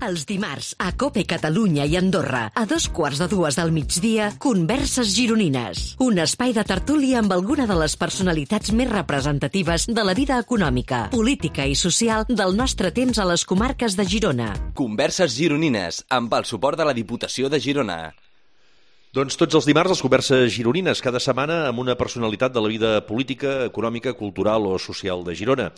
Els dimarts, a COPE Catalunya i Andorra, a 2:15 del migdia, Converses Gironines. Un espai de tertúlia amb alguna de les personalitats més representatives de la vida econòmica, política i social del nostre temps a les comarques de Girona. Converses Gironines, amb el suport de la Diputació de Girona. Doncs tots els dimarts, les converses gironines, cada setmana amb una personalitat de la vida política, econòmica, cultural o social de Girona.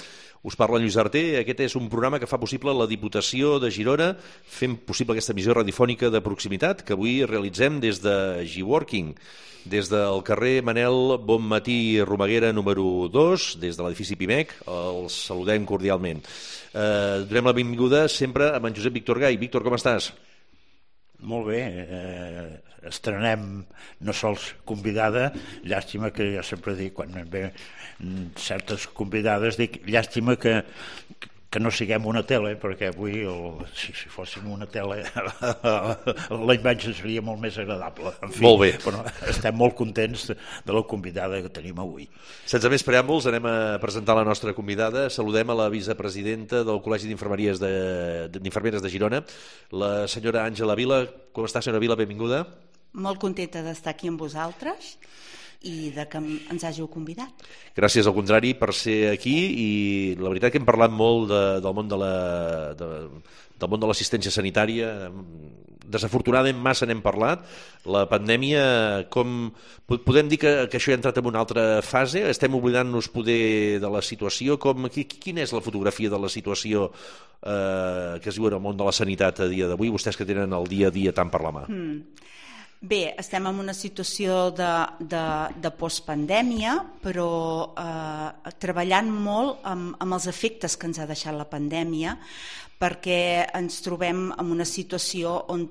Us parla Lluís Arter, aquest és un programa que fa possible la Diputació de Girona, fent possible aquesta emissió radiofònica de proximitat que avui realitzem des de G-Working, des del carrer Manel Bonmatí Romaguera número 2, des de l'edifici Pimec, els saludem cordialment. Donem la benvinguda sempre a en Josep Víctor Gai. Víctor, com estàs? Molt bé, estrenem no sols convidada, llàstima que jo sempre dic, quan ve certes convidades, dic llàstima que no siguem una tele, perquè avui, si fóssim una tele, la imatge seria molt més agradable. En fi, molt bé. Però estem molt contents de la convidada que tenim avui. Sense més preàmbuls, anem a presentar la nostra convidada. Saludem a la vicepresidenta del Col·legi d'Infermeries d'Infermeres de Girona, la senyora Àngela Vila. Com està, senyora Vila? Benvinguda. Molt contenta d'estar aquí amb vosaltres i de que ens hàgiu convidat. Gràcies, al contrari, per ser aquí, i la veritat que hem parlat molt del món de l'assistència sanitària. Desafortunadament massa n'hem parlat. La pandèmia, podem dir que això ha entrat en una altra fase? Estem oblidant-nos poder de la situació? Quina és la fotografia de la situació que es viu en el món de la sanitat a dia d'avui, vostès que tenen el dia a dia tant per la mà? Bé, estem en una situació de postpandèmia, però treballant molt amb els efectes que ens ha deixat la pandèmia, perquè ens trobem en una situació on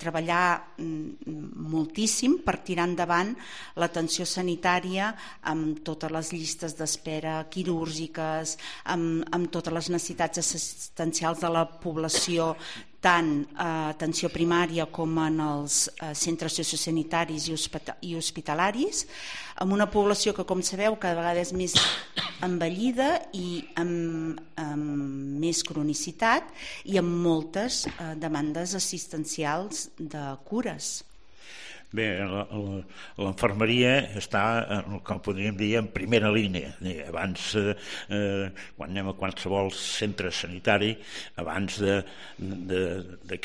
treballar moltíssim per tirar endavant l'atenció sanitària amb totes les llistes d'espera quirúrgiques, amb totes les necessitats assistencials de la població, tant a atenció primària com en els centres sociosanitaris i hospitalaris, amb una població que, com sabeu, cada vegada és més envellida i amb més cronicitat i amb moltes demandes assistencials de cures. Bé, l'infermeria està, com podríem dir, en primera línia. Abans, quan anem a qualsevol centre sanitari, abans que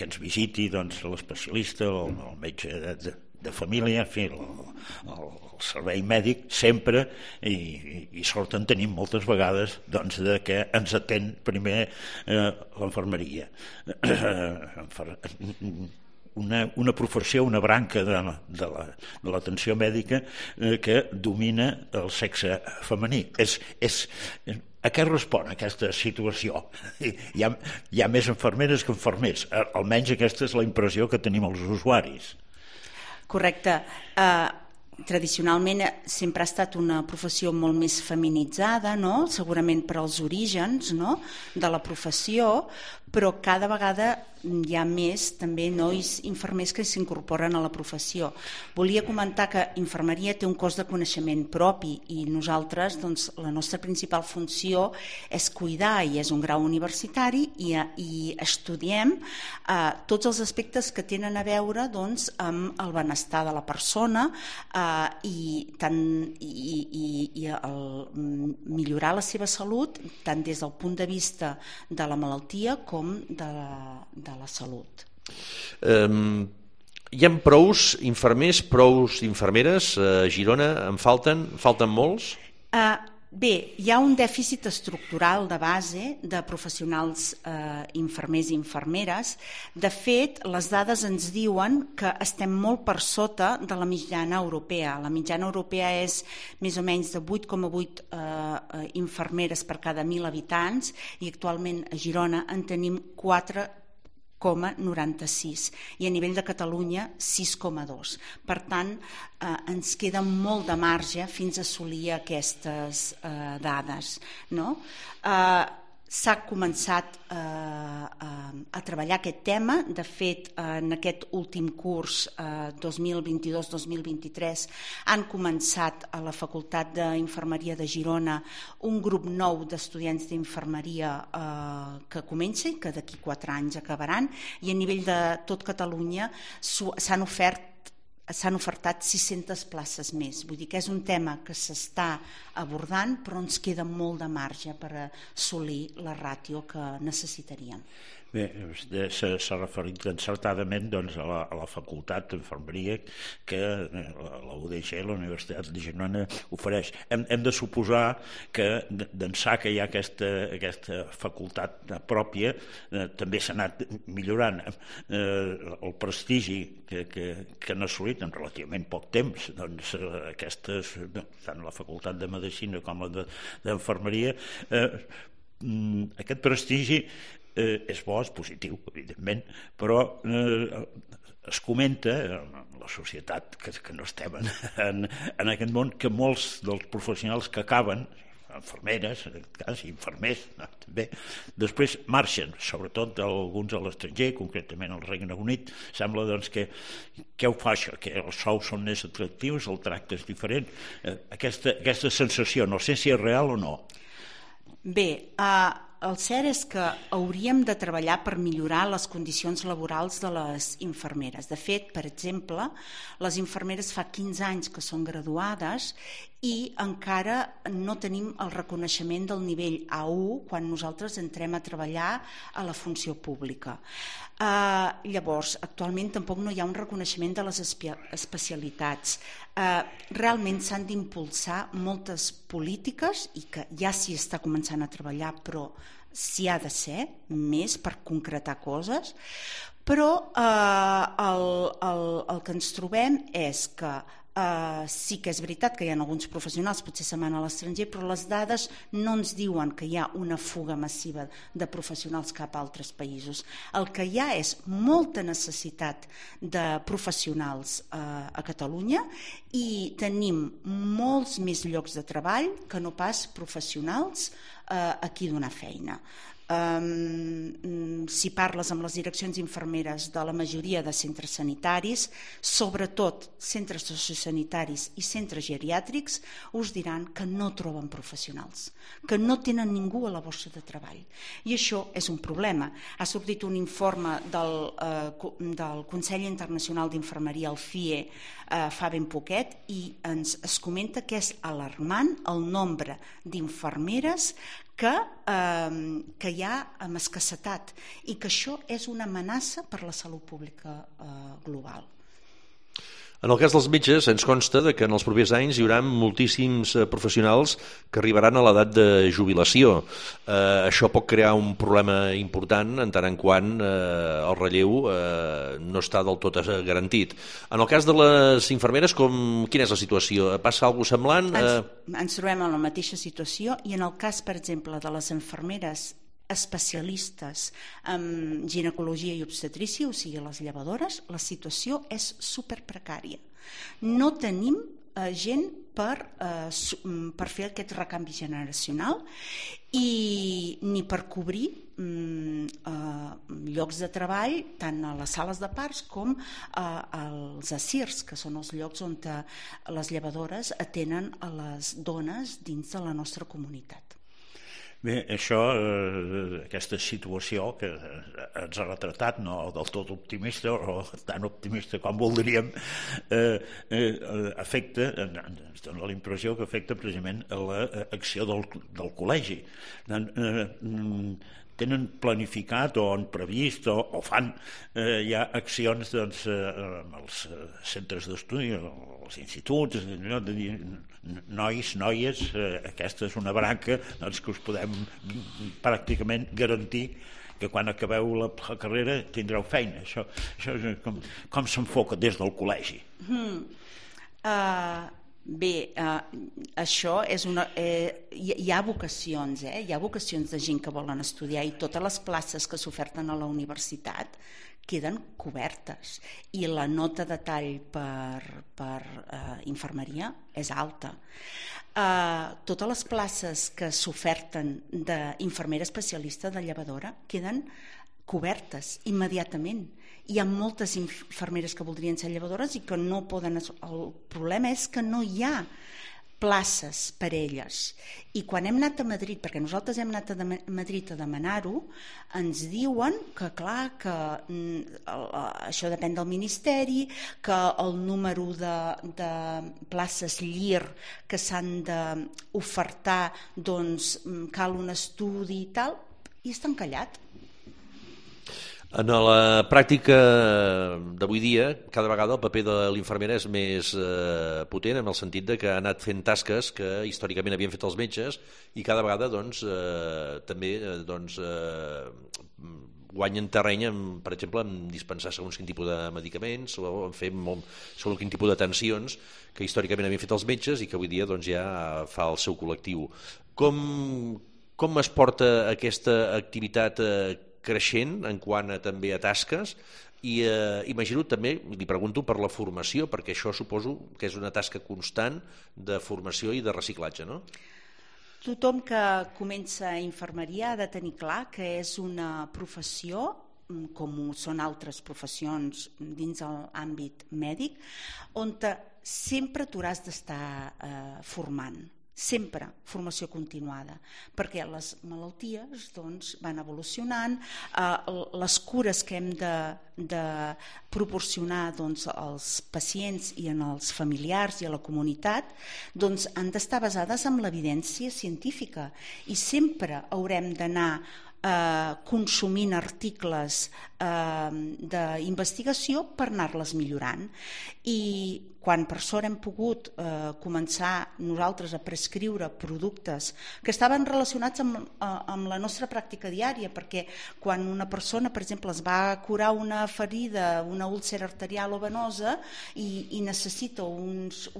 ens visiti l'especialista o el metge de família, en fi, el servei mèdic, sempre, i sort en tenim moltes vegades, de que ens atén primer l'infermeria. Una professió, una branca de l'atenció mèdica que domina el sexe femení. A què respon aquesta situació? Hi ha més infermeres que infermers, almenys aquesta és la impressió que tenim els usuaris. Correcte. Tradicionalment sempre ha estat una professió molt més feminitzada, no? Segurament per als orígens, no? De la professió, però cada vegada hi ha més també nois infermers que s'incorporen a la professió. Volia comentar que infermeria té un cos de coneixement propi i nosaltres, la nostra principal funció és cuidar, i és un grau universitari, i estudiem tots els aspectes que tenen a veure amb el benestar de la persona i millorar la seva salut tant des del punt de vista de la malaltia com de la salut. Hi ha prous infermers, prous infermeres a Girona? En falten molts? Bé, hi ha un dèficit estructural de base de professionals infermers i infermeres. De fet, les dades ens diuen que estem molt per sota de la mitjana europea. La mitjana europea és més o menys de 8,8 infermeres per cada 1.000 habitants i actualment a Girona en tenim 4,96 i a nivell de Catalunya 6,2. Per tant, ens queda molt de marge fins a assolir aquestes dades, no? S'ha començat a treballar aquest tema. De fet, en aquest últim curs 2022-2023 han començat a la Facultat d'Infermeria de Girona un grup nou d'estudiants d'infermeria que comença i que d'aquí 4 anys acabaran, i a nivell de tot Catalunya s'han ofertat 600 places més. Vull dir que és un tema que s'està abordant, però ens queda molt de marge per assolir la ràtio que necessitaríem. Bé, s'ha referit encertadament a la facultat d'infermeria que la UDG, la Universitat de Girona, ofereix. Hem de suposar que d'ençà que hi ha aquesta facultat pròpia també s'ha anat millorant el prestigi que han assolit en relativament poc temps aquestes, tant la facultat de Medicina com la d'Infermeria. Aquest prestigi és bo, és positiu, evidentment, però es comenta en la societat que no estem en aquest món que molts dels professionals que acaben, infermeres, en aquest cas, infermers, també, després marxen, sobretot alguns a l'estranger, concretament al Regne Unit. Sembla que què ho fa això? Que els sous són més atractius, el tracte és diferent. Aquesta sensació, no sé si és real o no. Bé, el cert és que hauríem de treballar per millorar les condicions laborals de les infermeres. De fet, per exemple, les infermeres fa 15 anys que són graduades i encara no tenim el reconeixement del nivell A1 quan nosaltres entrem a treballar a la funció pública. Llavors, actualment tampoc no hi ha un reconeixement de les especialitats. Realment s'han d'impulsar moltes polítiques i que ja s'hi està començant a treballar, però s'hi ha de ser més per concretar coses. Però el que ens trobem és que sí que és veritat que hi ha alguns professionals, potser se'n van a l'estranger, però les dades no ens diuen que hi ha una fuga massiva de professionals cap a altres països. El que hi ha és molta necessitat de professionals a Catalunya i tenim molts més llocs de treball que no pas professionals a qui donar feina. Si parles amb les direccions infermeres de la majoria de centres sanitaris, sobretot centres sociosanitaris i centres geriàtrics, us diran que no troben professionals, que no tenen ningú a la borsa de treball. I això és un problema. Ha sortit un informe del Consell Internacional d'Infermeria, el CIE, fa ben poquet, i es comenta que és alarmant el nombre d'infermeres que hi ha amb escassetat i que això és una amenaça per la salut pública global. En el cas dels metges, ens consta que en els propers anys hi haurà moltíssims professionals que arribaran a l'edat de jubilació. Això pot crear un problema important en tant en quant el relleu no està del tot garantit. En el cas de les infermeres, quina és la situació? Passa alguna cosa semblant? Ens trobem en la mateixa situació i en el cas, per exemple, de les infermeres especialistes en ginecologia i obstetrícia, o sigui, les llevadores, la situació és superprecària. No tenim gent per fer aquest recanvi generacional i ni per cobrir llocs de treball tant a les sales de parts com als ASIRs, que són els llocs on les llevadores atenen a les dones dins de la nostra comunitat. Bé, això, aquesta situació que ens ha retratat, no del tot optimista o tan optimista com voldríem, afecta, ens dona la impressió que afecta precisament a l'acció del col·legi. Tenen planificat o han previst o fan ja accions amb els centres d'estudi, els instituts, nois, noies, aquesta és una branca que us podem pràcticament garantir que quan acabeu la carrera tindreu feina. Això com s'enfoca des del col·legi? Bé, això és hi ha vocacions, hi ha vocacions de gent que volen estudiar i totes les places que s'oferten a la universitat queden cobertes i la nota de tall per infermeria és alta. Totes les places que s'oferten d'infermera especialista de llevadora queden cobertes immediatament. Hi ha moltes infermeres que voldrien ser llevadores i que no poden. El problema és que no hi ha places per elles. I quan hem anat a Madrid, perquè nosaltres hem anat a Madrid a demanar-ho, ens diuen que clar, que això depèn del Ministeri, que el número de places LIR que s'han d'ofertar, doncs cal un estudi i tal, i està encallat. En la pràctica d'avui dia, cada vegada el paper de l'infermera és més potent, en el sentit de que ha anat fent tasques que històricament havien fet els metges i cada vegada també guanyen terreny, per exemple, en dispensar segons quin tipus de medicaments o en fer segons quin tipus d'atencions que històricament havien fet els metges i que avui dia ja fa el seu col·lectiu. Com es porta aquesta activitat creixent en quant també a tasques i imagino també, li pregunto per la formació, perquè això suposo que és una tasca constant de formació i de reciclatge, no? Tothom que comença infermeria ha de tenir clar que és una professió, com són altres professions dins l'àmbit mèdic, on sempre t'hauràs d'estar formant. Sempre formació continuada, perquè les malalties van evolucionant, les cures que hem de proporcionar als pacients i als familiars i a la comunitat han d'estar basades en l'evidència científica i sempre haurem d'anar consumint articles d'investigació per anar-les millorant. I quan per sort hem pogut començar nosaltres a prescriure productes que estaven relacionats amb la nostra pràctica diària, perquè quan una persona, per exemple, es va curar una ferida, una úlcera arterial o venosa i necessita uns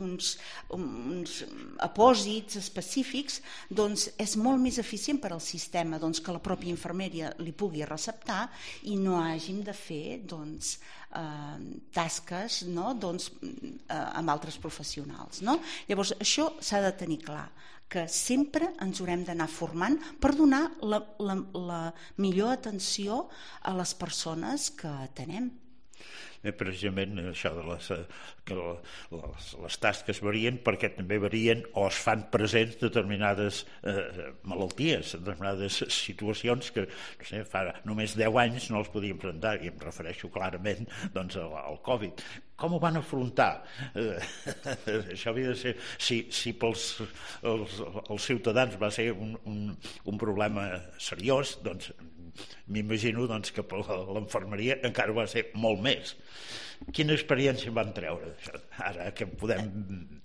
apòsits específics, doncs és molt més eficient per al sistema que la pròpia infermeria li pugui receptar i no hàgim de fer tasques amb altres professionals. Llavors, això s'ha de tenir clar, que sempre ens haurem d'anar formant per donar la millor atenció a les persones que atenem. Precisament això de les tasques varien perquè també varien o es fan presents determinades malalties, determinades situacions que fa només 10 anys no els podíem presentar, i em refereixo clarament al Covid. Com ho van afrontar? Això havia de ser, si pels els ciutadans va ser un problema seriós, doncs m'imagino que per l'infermeria encara va ser molt més. Quina experiència van treure ara que podem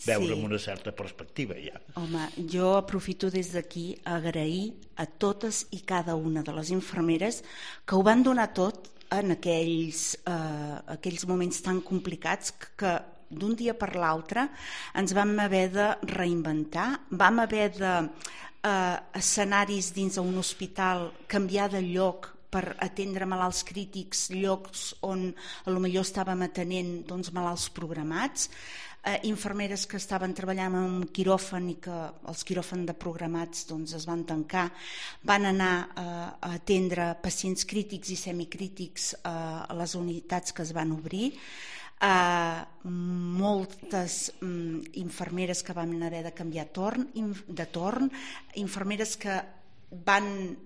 veure amb una certa perspectiva ja? Home, jo aprofito des d'aquí a agrair a totes i cada una de les infermeres que ho van donar tot en aquells moments tan complicats que d'un dia per l'altre ens vam haver de reinventar, vam haver de escenaris dins d'un hospital canviar de lloc per atendre malalts crítics, llocs on potser estàvem atenent malalts programats, infermeres que estaven treballant en un quiròfan i que els quiròfans de programats es van tancar, van anar a atendre pacients crítics i semicrítics a les unitats que es van obrir, moltes infermeres que van haver de canviar de torn, infermeres que van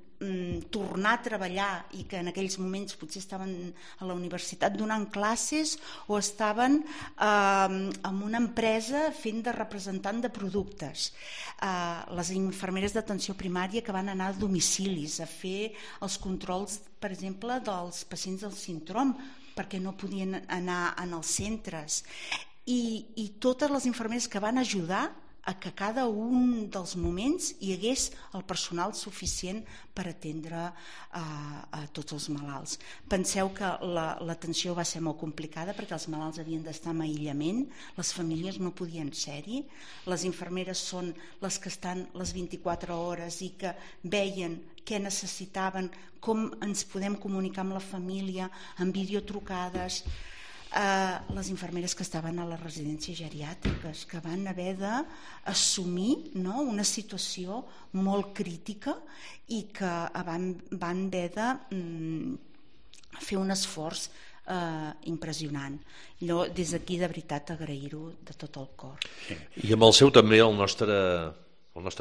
tornar a treballar i que en aquells moments potser estaven a la universitat donant classes o estaven en una empresa fent de representant de productes, les infermeres d'atenció primària que van anar a domicilis a fer els controls, per exemple, dels pacients del síndrome perquè no podien anar als centres, i totes les infermeres que van ajudar a que cada un dels moments hi hagués el personal suficient per atendre a tots els malalts. Penseu que l'atenció va ser molt complicada perquè els malalts havien d'estar en aïllament, les famílies no podien ser-hi, les infermeres són les que estan les 24 hores i que veien què necessitaven, com ens podem comunicar amb la família, amb videotrucades, les infermeres que estaven a les residències geriàtriques, que van haver d'assumir una situació molt crítica i que van haver de fer un esforç impressionant. Allò, des d'aquí, de veritat, agrair-ho de tot el cor. I amb el seu també el nostre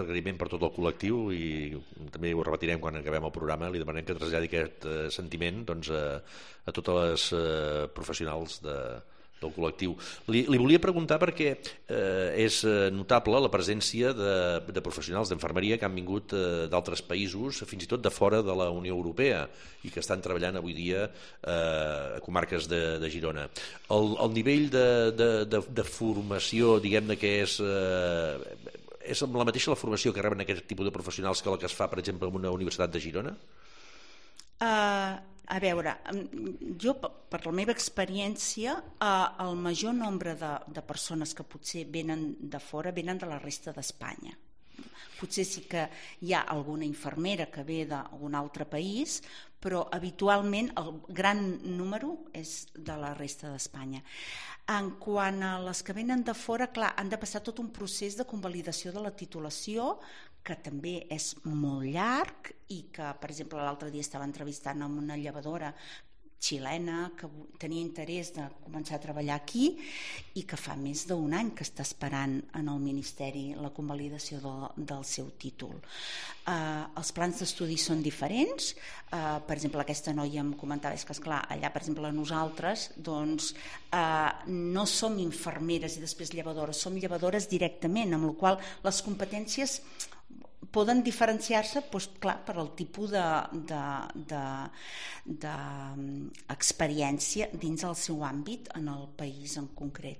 agraïment per tot el col·lectiu, i també ho repetirem quan acabem el programa, li demanem que traslladi aquest sentiment doncs, a totes les professionals del col·lectiu. Li volia preguntar perquè és notable la presència de professionals d'infermeria que han vingut d'altres països, fins i tot de fora de la Unió Europea, i que estan treballant avui dia a comarques de Girona. El nivell de formació, diguem-ne, que és la mateixa la formació que reben aquest tipus de professionals que la que es fa, per exemple, en una universitat de Girona? A veure, jo, per la meva experiència, el major nombre de persones que potser venen de fora venen de la resta d'Espanya. Potser sí que hi ha alguna infermera que ve d'un altre país, però habitualment el gran número és de la resta d'Espanya. En quant a les que venen de fora, clar, han de passar tot un procés de convalidació de la titulació, que també és molt llarg, i que, per exemple, l'altre dia estava entrevistant amb una llevadora xilena que tenia interès de començar a treballar aquí i que fa més d'un any que està esperant en el Ministeri la convalidació del seu títol. Els plans d'estudi són diferents. Per exemple, aquesta noia em comentava, és que, esclar, allà, per exemple, nosaltres doncs, no som infermeres i després llevadores, som llevadores directament, amb la qual cosa les competències poden diferenciar-se, doncs, clar, per al tipus d'experiència dins el seu àmbit en el país en concret.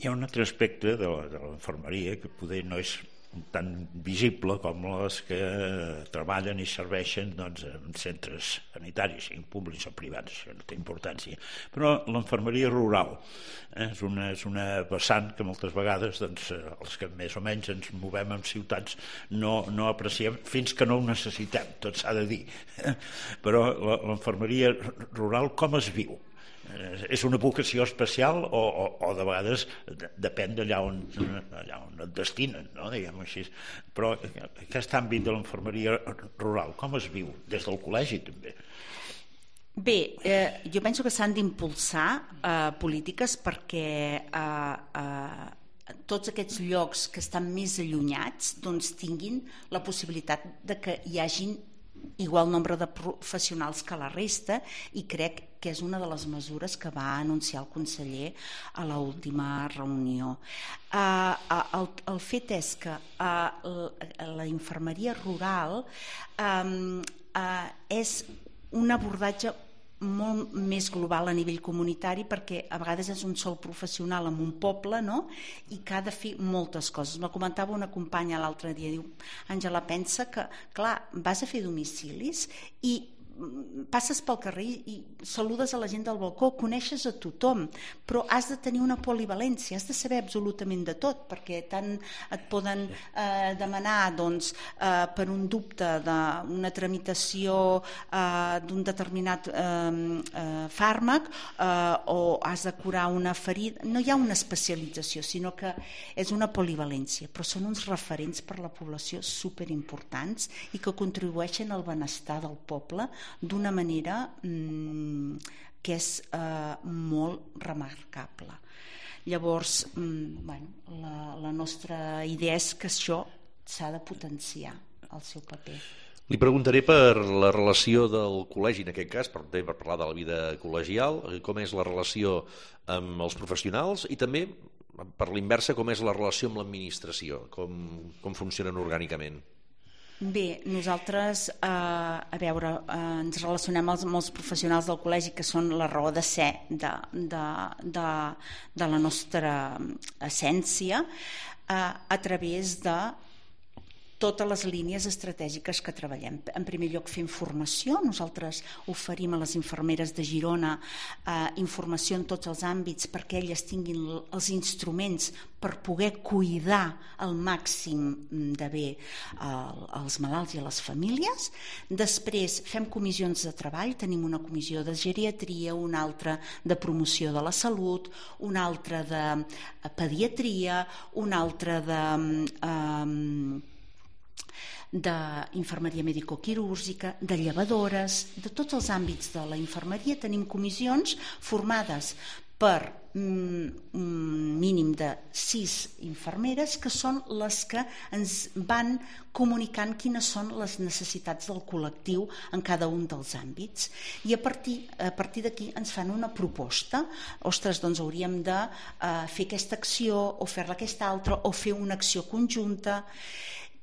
Hi ha un altre aspecte de l'infermeria que poder no és tan visible com les que treballen i serveixen en centres sanitaris, siguin públics o privats, això no té importància. Però l'infermeria rural és una vessant que moltes vegades els que més o menys ens movem en ciutats no apreciem fins que no ho necessitem, tot s'ha de dir. Però l'infermeria rural com es viu? És una vocació especial o de vegades depèn d'allà on et destinen, no? Diguem-ho així. Però aquest àmbit de l'infermeria rural com es viu? Des del col·legi també? Bé, jo penso que s'han d'impulsar polítiques perquè tots aquests llocs que estan més allunyats doncs tinguin la possibilitat de que hi hagin igual nombre de professionals que la resta, i crec que és una de les mesures que va anunciar el conseller a l'última reunió. El fet és que la infermeria rural és un abordatge molt més global a nivell comunitari, perquè a vegades és un sol professional en un poble, no? I que ha de fer moltes coses. Me comentava una companya l'altre dia, diu, Àngela, pensa que, clar, vas a fer domicilis i passes pel carrer i saludes a la gent del balcó, coneixes a tothom, però has de tenir una polivalència, has de saber absolutament de tot, perquè tant et poden demanar doncs, per un dubte d'una tramitació d'un determinat fàrmac o has de curar una ferida. No hi ha una especialització, sinó que és una polivalència, però són uns referents per la població superimportants i que contribueixen al benestar del poble d'una manera que és molt remarcable. Llavors, la nostra idea és que això s'ha de potenciar, el seu paper. Li preguntaré per la relació del col·legi, en aquest cas, per parlar de la vida col·legial, com és la relació amb els professionals i també, per l'inversa, com és la relació amb l'administració, com funcionen orgànicament. Bé, nosaltres, ens relacionem amb els professionals del col·legi, que són la raó de ser de la nostra essència, a través de totes les línies estratègiques que treballem. En primer lloc, fem formació. Nosaltres oferim a les infermeres de Girona informació en tots els àmbits perquè elles tinguin els instruments per poder cuidar al màxim de bé els malalts i a les famílies. Després fem comissions de treball, tenim una comissió de geriatria, una altra de promoció de la salut, una altra de pediatria, una altra de d'infermeria medicoquirúrgica, de llevadores, de tots els àmbits de la infermeria. Tenim comissions formades per un mínim de 6 infermeres, que són les que ens van comunicant quines són les necessitats del col·lectiu en cada un dels àmbits. I a partir d'aquí ens fan una proposta. Ostres, doncs hauríem de fer aquesta acció o fer-la aquesta altra o fer una acció conjunta.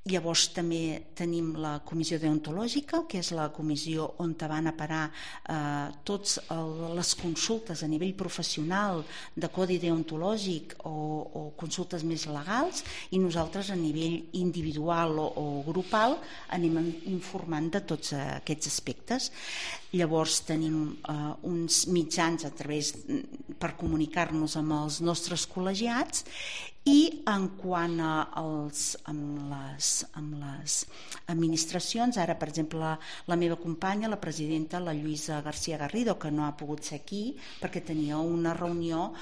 Llavors també tenim la comissió deontològica, que és la comissió on van a parar totes les consultes a nivell professional de codi deontològic o consultes més legals, i nosaltres a nivell individual o grupal anem informant de tots aquests aspectes. Llavors tenim uns mitjans per comunicar-nos amb els nostres col·legiats. I en quant amb les administracions, ara per exemple la meva companya, la presidenta, la Lluïsa García Garrido, que no ha pogut ser aquí perquè tenia una reunió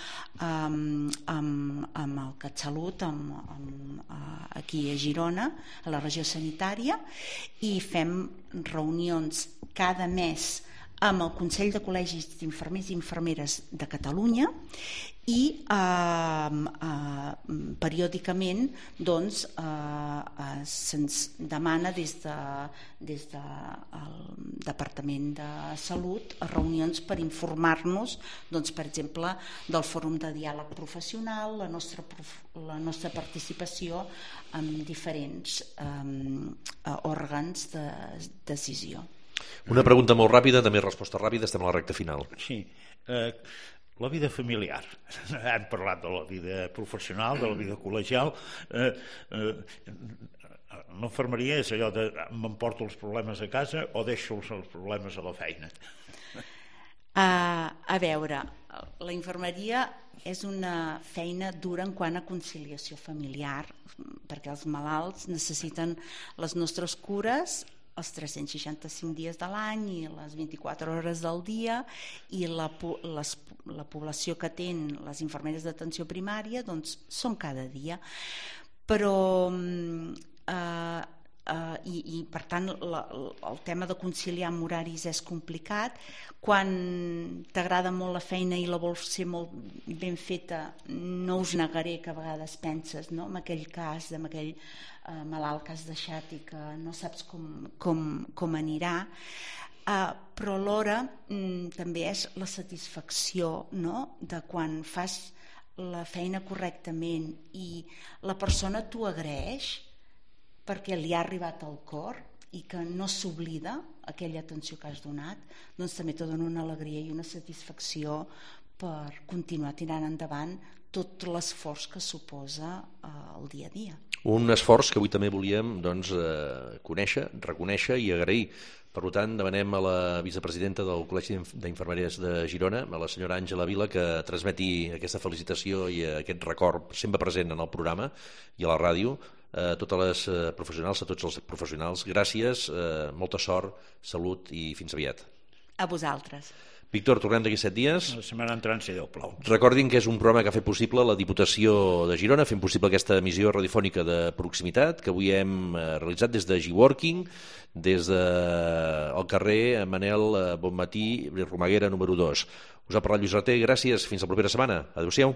amb el CatSalut aquí a Girona, a la regió sanitària, i fem reunions cada mes amb el Consell de Col·legis d'Infermers i Infermeres de Catalunya, i periòdicament doncs, se'ns demana des del Departament de Salut reunions per informar-nos, doncs, per exemple, del Fòrum de Diàleg Professional, la nostra participació en diferents òrgans de decisió. Una pregunta molt ràpida, també resposta ràpida, estem a la recta final. Sí, la vida familiar. Hem parlat de la vida professional, de la vida col·legial. L'infermeria és allò de m'emporto els problemes a casa o deixo els problemes a la feina? A veure, la infermeria és una feina dura en quant a conciliació familiar, perquè els malalts necessiten les nostres cures els 365 dies de l'any i les 24 hores del dia, i la població que atén les infermeres d'atenció primària doncs són cada dia. Però i per tant el tema de conciliar amb horaris és complicat. Quan t'agrada molt la feina i la vols ser molt ben feta, no us negaré que a vegades penses, no?, en aquell cas, en aquell malalt que has deixat i que no saps com anirà, però alhora també és la satisfacció, no?, de quan fas la feina correctament i la persona t'ho agraeix perquè li ha arribat al cor i que no s'oblida aquella atenció que has donat, doncs també te dona una alegria i una satisfacció per continuar tirant endavant tot l'esforç que suposa el dia a dia. Un esforç que avui també volíem conèixer, reconèixer i agrair. Per tant, demanem a la vicepresidenta del Col·legi d'Infermeries de Girona, a la senyora Àngela Vila, que transmeti aquesta felicitació i aquest record sempre present en el programa i a la ràdio, a totes les professionals, a tots els professionals. Gràcies, molta sort, salut i fins aviat. A vosaltres. Víctor, tornem d'aquí 7 dies. La setmana entrant, si Déu plau. Recordin que és un programa que ha fet possible la Diputació de Girona, fent possible aquesta emissió radiofònica de proximitat que avui hem realitzat des de G-Working, des del carrer Manel Bonmatí, Romaguera número 2. Us ha parlat Lluís Raté, gràcies, fins la propera setmana. Adéu-siau.